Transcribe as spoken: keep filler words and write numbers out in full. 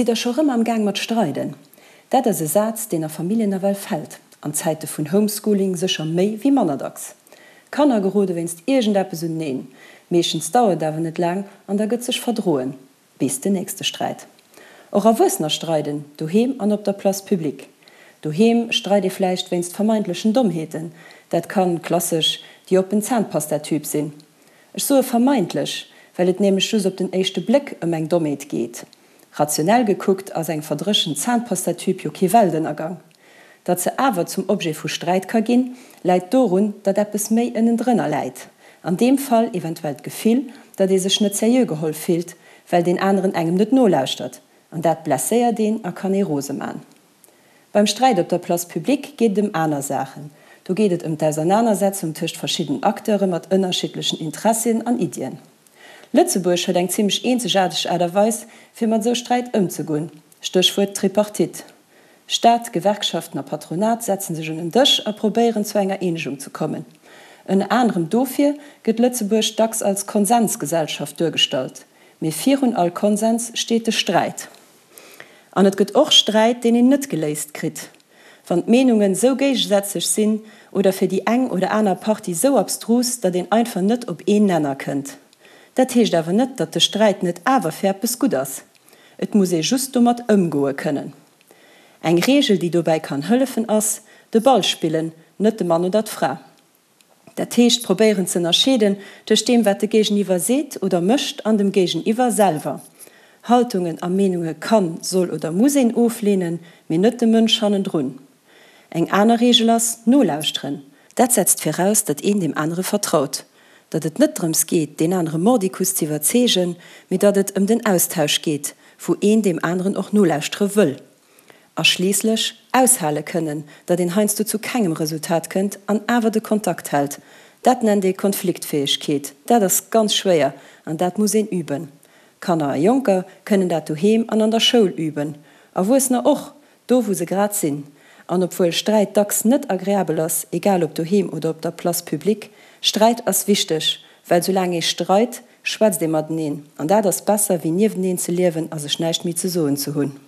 Sidd der scho rëm am Gaang mat streiden? Dat ass e Saz, deen a Familljen nawell fält, an Zäite vun Homeschooling sécher méi wéi manner dacks. Kanner gerode wéinst iergendeppes uneneen, meeschtens dauert et awer net laang an da gëtt sech verdroen, bis den nächste Sträit. Och Erwuessener streiden, doheem an op der Place publique. Doheem streit ee vläicht wéinst vermeintlechen Dommheeten, dat kann, klassesch, déi oppen Zahnpastatüb sinn. Ech soe vermeintlech, well et nämlech just op den éischte Bléck ëm eng Dommheet geet. Rationell gekuckt ass eng verdréchent Zahnpastatüb jo kee Weltënnergang. Datt se awer zum Objet vu Sträit ka ginn, läit dorun, datt eppes méi ënnendrënner läit, an deem Fall eventuell d'Gefill, datt ee sech net seriö geholl fillt, well deen aneren engem net nolauschtert. An dat blesséiert een a kann ee rose man. Beim Sträit op der Place publique geet et ëm aner Saachen. Do geet et ëm d'Ausernanersetzung tëscht verschidden Acteure mat ënnerschiddlechen Interessien an Iddien. Lëtzebuerg huet eng zimmlech eenzegaarteg Aart a Weis, fir mat esou Sträit ëmzegoen, Stéchwuert Tripartite. Staat, Gewerkschaften a Patronat setzen sech un en Dësch a probéieren zu enger Eenegung ze kommen. Ënner anerem dofir gëtt Lëtzebuerg dacks als Konsensgesellschaft duergestallt. Mee virun all Konsens steet de Sträit. An et gëtt och Sträit, deen een net geléist kritt. Wann d'Meenungen sou géigesätzlech sinn oder fir déi eng oder aner Partie sou abstrus, datt een einfach net op een Nenner kënnt. Dat heescht awer net, datt de Sträit net awer fir eppes gutt ass. Et muss ee just domat ëmgoe kënnen. Eng Reegel, déi dobäi kann hëllefen, ass, De Ball spillen, net de Mann oder d'Fra. Dat heescht, probéieren ze ënnerscheeden tëscht deem, wat de Géigeniwwer seet oder mécht an dem Géigeniwwer selwer. Haltungen a Meenunge kann, soll oder muss een ofleenen, mee net de Mënsch hannendrun. Eng aner Reegel ass, nolauschteren. Dat setzt viraus, datt een deem anere vertraut. Datt et net drëms geet, deen anere mordicus z'iwwerzeegen, mee datt et ëm den Austausch geet, wou een deem aneren och nolauschtere wëll. A schliisslech, aushale kënnen, datt een heiansdo zu kengem Resultat kënnt an awer de Kontakt hält. Dat nennt ee Konfliktfäegkeet. Dat ass ganz schwéier an dat muss een üben. Kanner a Jonker kënnen dat doheem an an der Schoul üben. Erwuessener och, do wou se grad sinn. An obwuel Sträit dacks net agreabel ass, egal ob doheem oder op der Place publique, Sträit ass wichteg, well soulaang ee streit, schwätzt ee mateneen. An dat ass besser wéi niefteneen ze liewen a sech näischt méi ze soen ze hunn.